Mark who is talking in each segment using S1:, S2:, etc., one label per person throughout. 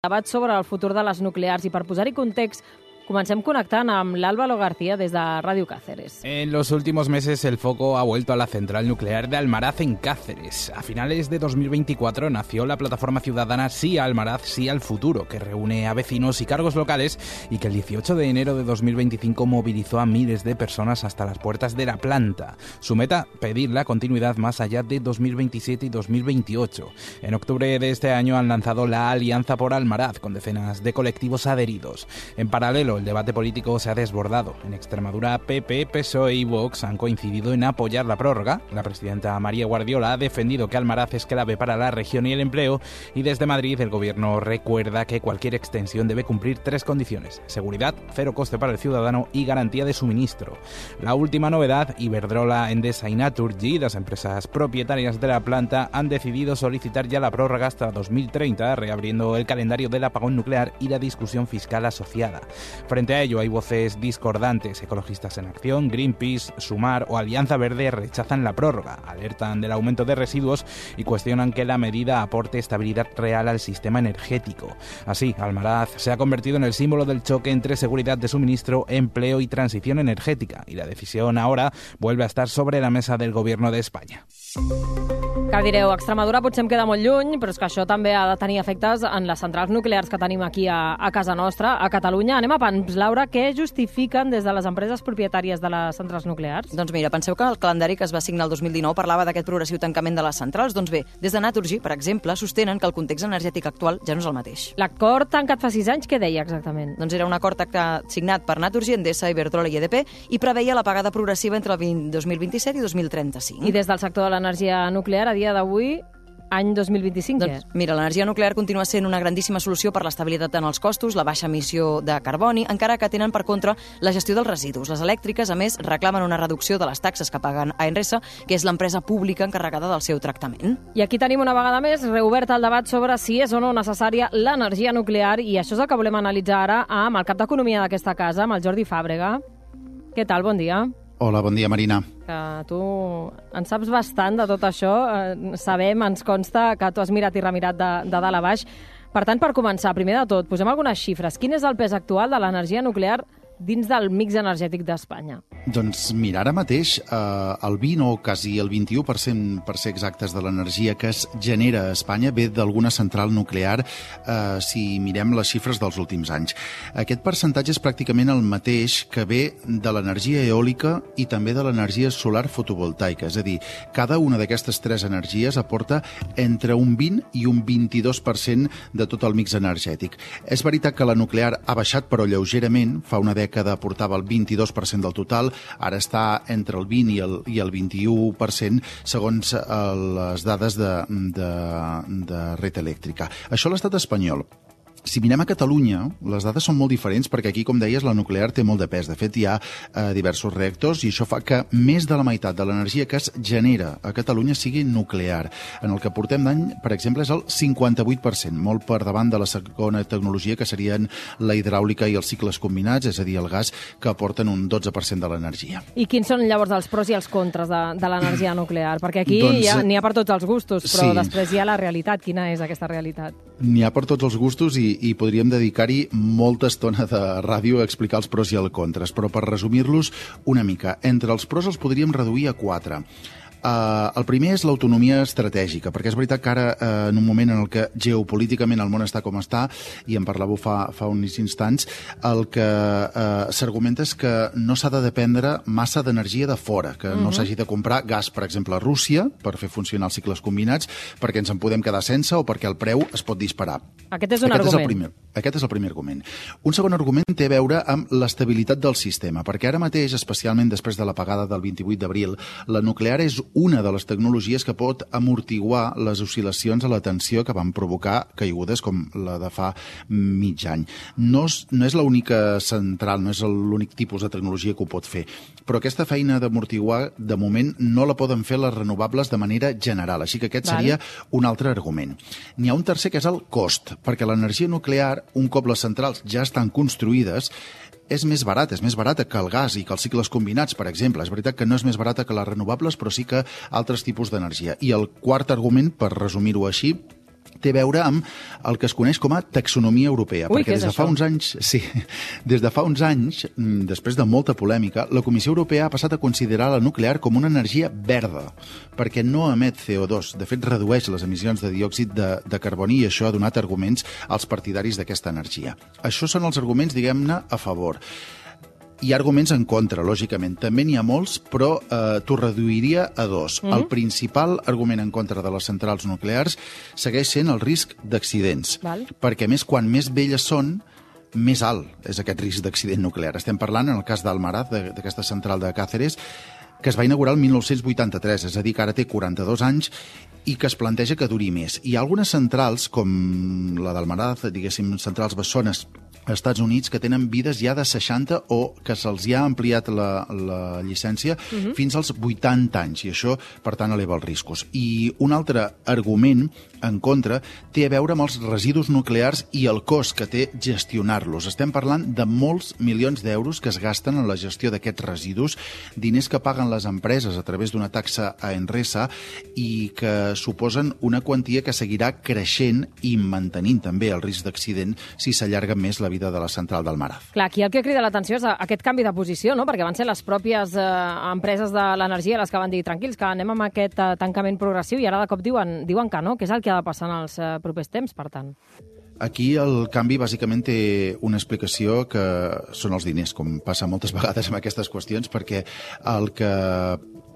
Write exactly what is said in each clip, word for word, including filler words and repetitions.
S1: Debat sobre el futur de les nuclears i per posar-hi context, comencem connectant amb l'Álvaro García des de Radio Cáceres.
S2: En los últimos meses el foco ha vuelto a la central nuclear de Almaraz en Cáceres. A finales de dos mil veinticuatro nació la plataforma ciudadana Sí a Almaraz, Sí al Futuro, que reúne a vecinos y cargos locales y que el dieciocho de enero de dos mil veinticinco movilizó a miles de personas hasta las puertas de la planta. Su meta, pedir la continuidad más allá de dos mil veintisiete y dos mil veintiocho. En octubre de este año han lanzado la Alianza por Almaraz, con decenas de colectivos adheridos. En paralelo, el debate político se ha desbordado. En Extremadura, P P, P S O E y Vox han coincidido en apoyar la prórroga. La presidenta María Guardiola ha defendido que Almaraz es clave para la región y el empleo, y desde Madrid el gobierno recuerda que cualquier extensión debe cumplir tres condiciones: seguridad, cero coste para el ciudadano y garantía de suministro. La última novedad: Iberdrola, Endesa y Naturgy, las empresas propietarias de la planta, han decidido solicitar ya la prórroga hasta dos mil treinta, reabriendo el calendario del apagón nuclear y la discusión fiscal asociada. Frente a ello hay voces discordantes. Ecologistas en Acción, Greenpeace, Sumar o Alianza Verde rechazan la prórroga, alertan del aumento de residuos y cuestionan que la medida aporte estabilidad real al sistema energético. Así, Almaraz se ha convertido en el símbolo del choque entre seguridad de suministro, empleo y transición energética, y la decisión ahora vuelve a estar sobre la mesa del Gobierno de España.
S1: Que direu, Extremadura potser em queda molt lluny, però és que això també ha de tenir efectes en les centrals nuclears que tenim aquí a, a casa nostra, a Catalunya. Anem a pams, Laura, què justifiquen des de les empreses propietàries de les centrals nuclears?
S3: Doncs mira, penseu que el calendari que es va signar el dos mil dinou parlava d'aquest progressiu tancament de les centrals. Doncs bé, des de Naturgy, per exemple, sostenen que el context energètic actual ja no és el mateix.
S1: L'acord tancat fa sis anys, què deia exactament?
S3: Doncs era un acord signat per Naturgy, Endesa, Iberdrola i E D P i preveia l'apagada progressiva entre el dos mil vint-i-set i dos mil trenta-cinc.
S1: I des del sector de l'energia nuclear, a dia d'avui, any dos mil vint-i-cinc,
S3: doncs, mira, l'energia nuclear continua sent una grandíssima solució per l'estabilitat en els costos, la baixa emissió de carboni, encara que tenen per contra la gestió dels residus. Les elèctriques, a més, reclamen una reducció de les taxes que paguen a Enresa, que és l'empresa pública encarregada del seu tractament.
S1: I aquí tenim una vegada més reobert el debat sobre si és o no necessària l'energia nuclear, i això és el que volem analitzar ara amb el cap d'Economia d'aquesta casa, amb el Jordi Fàbrega. Què tal? Bon dia.
S4: Hola, bon dia, Marina.
S1: Que tu en saps bastant de tot això. Sabem, ens consta que tu has mirat i remirat de, de dalt a baix. Per tant, per començar, primer de tot, posem algunes xifres. Quin és el pes actual de l'energia nuclear dins del mix energètic d'Espanya?
S4: Doncs mira, ara mateix eh, el vint o quasi el vint-i-u per cent, per ser exactes, de l'energia que es genera a Espanya ve d'alguna central nuclear, eh, si mirem les xifres dels últims anys. Aquest percentatge és pràcticament el mateix que ve de l'energia eòlica i també de l'energia solar fotovoltaica. És a dir, cada una d'aquestes tres energies aporta entre un vint i un vint-i-dos per cent de tot el mix energètic. És veritat que la nuclear ha baixat, però lleugerament. Fa una dècada aportava el vint-i-dos per cent del total, ara està entre el vint i el, i el vint-i-u per cent segons eh, les dades de, de, de Red Eléctrica. Això a l'estat espanyol. Si mirem a Catalunya, les dades són molt diferents perquè aquí, com deies, la nuclear té molt de pes. De fet, hi ha eh, diversos reactors i això fa que més de la meitat de l'energia que es genera a Catalunya sigui nuclear. En el que portem d'any, per exemple, és el cinquanta-vuit per cent, molt per davant de la segona tecnologia, que serien la hidràulica i els cicles combinats, és a dir, el gas, que aporten un dotze per cent de l'energia.
S1: I quins són llavors els pros i els contres de, de l'energia nuclear? Perquè aquí
S4: doncs,
S1: ja, n'hi ha per tots els gustos, però
S4: sí.
S1: Després hi ha la realitat. Quina és aquesta realitat?
S4: N'hi ha per tots els gustos i, i podríem dedicar-hi molta estona de ràdio a explicar els pros i els contres, però per resumir-los una mica, entre els pros els podríem reduir a quatre. Uh, el primer és l'autonomia estratègica, perquè és veritat que ara, uh, en un moment en el que geopolíticament el món està com està, i en parlàveu fa, fa uns instants, el que uh, s'argumenta és que no s'ha de dependre massa d'energia de fora, que uh-huh. no s'hagi de comprar gas, per exemple, a Rússia, per fer funcionar els cicles combinats, perquè ens en podem quedar sense o perquè el preu es pot disparar.
S1: Aquest és un
S4: Aquest
S1: argument.
S4: És el primer, aquest és el primer argument. Un segon argument té a veure amb l'estabilitat del sistema, perquè ara mateix, especialment després de l'apagada del vint-i-vuit d'abril, la nuclear és una de les tecnologies que pot amortiguar les oscil·lacions a la tensió que van provocar caigudes com la de fa mig any. No és, no és l'única central, no és l'únic tipus de tecnologia que ho pot fer, però aquesta feina d'amortiguar, de moment, no la poden fer les renovables de manera general, així que aquest seria un altre argument. N'hi ha un tercer, que és el cost, perquè l'energia nuclear, un cop les centrals ja estan construïdes, és més barat, és més barata que el gas i que els cicles combinats, per exemple. És veritat que no és més barata que les renovables, però sí que altres tipus d'energia. I el quart argument, per resumir-ho així, té a veure amb el que es coneix com a taxonomia europea.
S1: Ui,
S4: perquè
S1: què és
S4: des de fa
S1: això?
S4: uns anys, sí, des de fa uns anys, després de molta polèmica, la Comissió Europea ha passat a considerar la nuclear com una energia verda, perquè no emet C O dos. De fet, redueix les emissions de diòxid de, de carboni i això ha donat arguments als partidaris d'aquesta energia. Això són els arguments, diguem-ne, a favor. Hi ha arguments en contra, lògicament. També n'hi ha molts, però eh, t'ho reduiria a dos. Mm-hmm. El principal argument en contra de les centrals nuclears segueix sent el risc d'accidents.
S1: Val.
S4: Perquè, a més, quan més velles són, més alt és aquest risc d'accident nuclear. Estem parlant, en el cas d'Almaraz, d'aquesta central de Cáceres, que es va inaugurar el mil nou-cents vuitanta-tres, és a dir, que ara té quaranta-dos anys i que es planteja que duri més. Hi ha algunes centrals, com la d'Almaraz, diguéssim, centrals bessones, als Estats Units, que tenen vides ja de seixanta o que se'ls ja ha ampliat la, la llicència uh-huh. fins als vuitanta anys, i això, per tant, eleva els riscos. I un altre argument en contra té a veure amb els residus nuclears i el cost que té gestionar-los. Estem parlant de molts milions d'euros que es gasten en la gestió d'aquests residus, diners que paguen les empreses a través d'una taxa a Enresa i que suposen una quantia que seguirà creixent i mantenint també el risc d'accident si s'allarga més la vida de la central d'Almaraz.
S1: Clar, aquí el que crida l'atenció és aquest canvi de posició, no? Perquè van ser les pròpies eh, empreses de l'energia les que van dir tranquils, que anem amb aquest eh, tancament progressiu, i ara de cop diuen, diuen que no, que és el que ha de passar en els eh, propers temps, per tant.
S4: Aquí el canvi bàsicament té una explicació que són els diners, com passa moltes vegades amb aquestes qüestions, perquè el que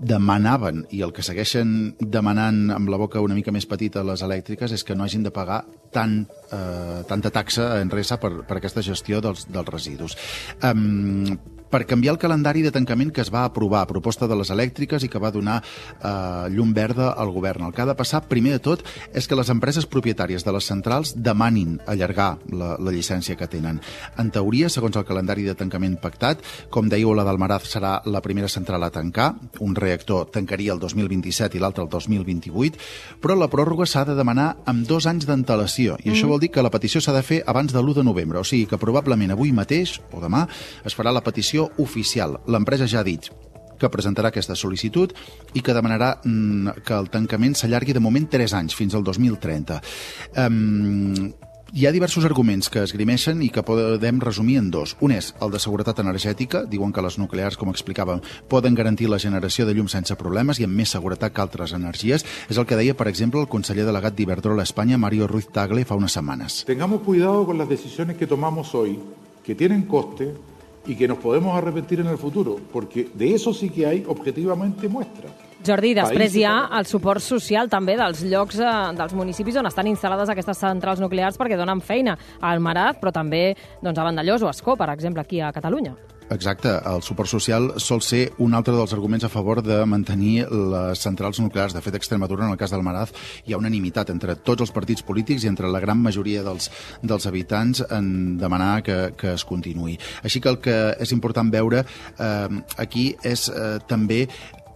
S4: demanaven i el que segueixen demanant amb la boca una mica més petita les elèctriques és que no hagin de pagar tant, eh, tanta taxa a Enresa per, per aquesta gestió dels, dels residus. Um, per canviar el calendari de tancament que es va aprovar a proposta de les elèctriques i que va donar eh, llum verda al govern. El que ha de passar, primer de tot, és que les empreses propietàries de les centrals demanin allargar la, la llicència que tenen. En teoria, segons el calendari de tancament pactat, com dèieu, la d'Almaraz serà la primera central a tancar, un reactor tancaria el dos mil vint-i-set i l'altre el dos mil vint-i-vuit, però la pròrroga s'ha de demanar amb dos anys d'antelació, i mm. això vol dir que la petició s'ha de fer abans de l'u de novembre, o sigui que probablement avui mateix, o demà, es farà la petició oficial. L'empresa ja ha dit que presentarà aquesta sol·licitud i que demanarà mm, que el tancament s'allargui de moment tres anys, fins al dos mil trenta. Um, Hi ha diversos arguments que esgrimeixen i que podem resumir en dos. Un és el de seguretat energètica. Diuen que les nuclears, com explicàvem, poden garantir la generació de llum sense problemes i amb més seguretat que altres energies. És el que deia, per exemple, el conseller delegat d'Iberdrola a Espanya, Mario Ruiz Tagle, fa unes setmanes.
S5: Tengamos cuidado con las decisiones que tomamos hoy, que tienen coste y que nos podemos arrepentir en el futuro, porque de eso sí que hay objetivamente muestras.
S1: Jordi, després hi ha el suport social també dels llocs, eh, dels municipis on estan instal·lades aquestes centrals nuclears perquè donen feina a Almaraz, però també doncs, a Vandellòs o a Ascó, per exemple, aquí a Catalunya.
S4: Exacte, el suport social sol ser un altre dels arguments a favor de mantenir les centrals nuclears. De fet, a Extremadura, en el cas d'Almaraz, hi ha unanimitat entre tots els partits polítics i entre la gran majoria dels, dels habitants en demanar que, que es continuï. Així que el que és important veure eh, aquí és eh, també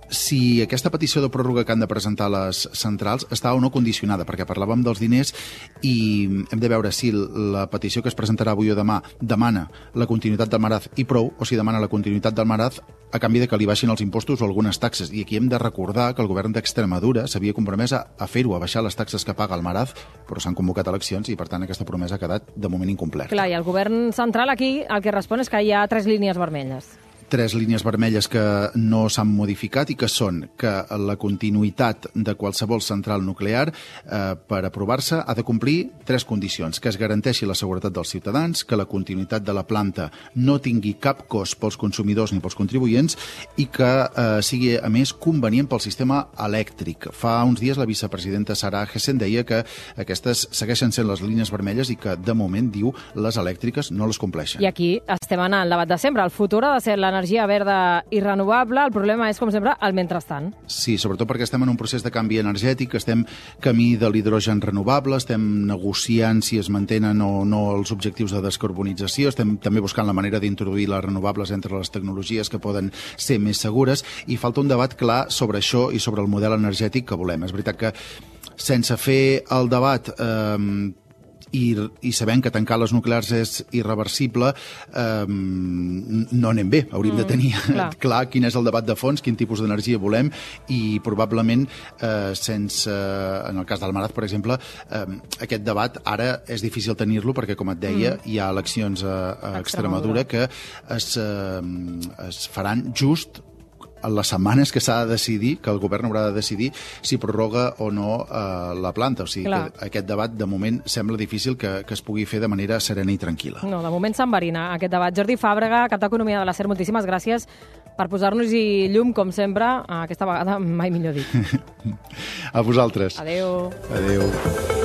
S4: si aquesta petició de pròrroga que han de presentar les centrals està o no condicionada, perquè parlàvem dels diners i hem de veure si la petició que es presentarà avui o demà demana la continuïtat d'Almaraz i prou, o si demana la continuïtat d'Almaraz a canvi de que li baixin els impostos o algunes taxes. I aquí hem de recordar que el govern d'Extremadura s'havia compromès a, a fer-ho, a baixar les taxes que paga Almaraz, però s'han convocat eleccions i, per tant, aquesta promesa ha quedat de moment incomplerta.
S1: Clar, i el govern central aquí el que respon és que hi ha tres línies vermelles.
S4: Tres línies vermelles que no s'han modificat i que són que la continuïtat de qualsevol central nuclear eh, per aprovar-se ha de complir tres condicions: que es garanteixi la seguretat dels ciutadans, que la continuïtat de la planta no tingui cap cost pels consumidors ni pels contribuents i que eh, sigui, a més, convenient pel sistema elèctric. Fa uns dies la vicepresidenta Sara Hessen deia que aquestes segueixen sent les línies vermelles i que, de moment, diu, les elèctriques no les compleixen.
S1: I aquí estem anant al debat de sempre. El futur ha de ser la energia verda i renovable. El problema és, com sempre, el mentrestant.
S4: Sí, sobretot perquè estem en un procés de canvi energètic, estem camí de l'hidrogen renovable, estem negociant si es mantenen o no els objectius de descarbonització, estem també buscant la manera d'introduir les renovables entre les tecnologies que poden ser més segures, i falta un debat clar sobre això i sobre el model energètic que volem. És veritat que sense fer el debat eh, i, i sabent que tancar les nuclears és irreversible, eh, no anem bé. Hauríem mm, de tenir clar. clar quin és el debat de fons, quin tipus d'energia volem, i probablement, eh, sense, en el cas d'Almaraz, per exemple, eh, aquest debat ara és difícil tenir-lo perquè, com et deia, mm. hi ha eleccions a, a Extremadura que es, eh, es faran just en les setmanes que s'ha de decidir, que el govern haurà de decidir si prorroga o no eh, la planta. O sigui, Clar. que aquest debat, de moment, sembla difícil que, que es pugui fer de manera serena i tranquil·la.
S1: No, de moment s'enverina aquest debat. Jordi Fàbrega, cap d'Economia de la SER, moltíssimes gràcies per posar-nos-hi llum, com sempre, aquesta vegada mai millor dit.
S4: A vosaltres.
S1: Adéu.
S4: Adéu.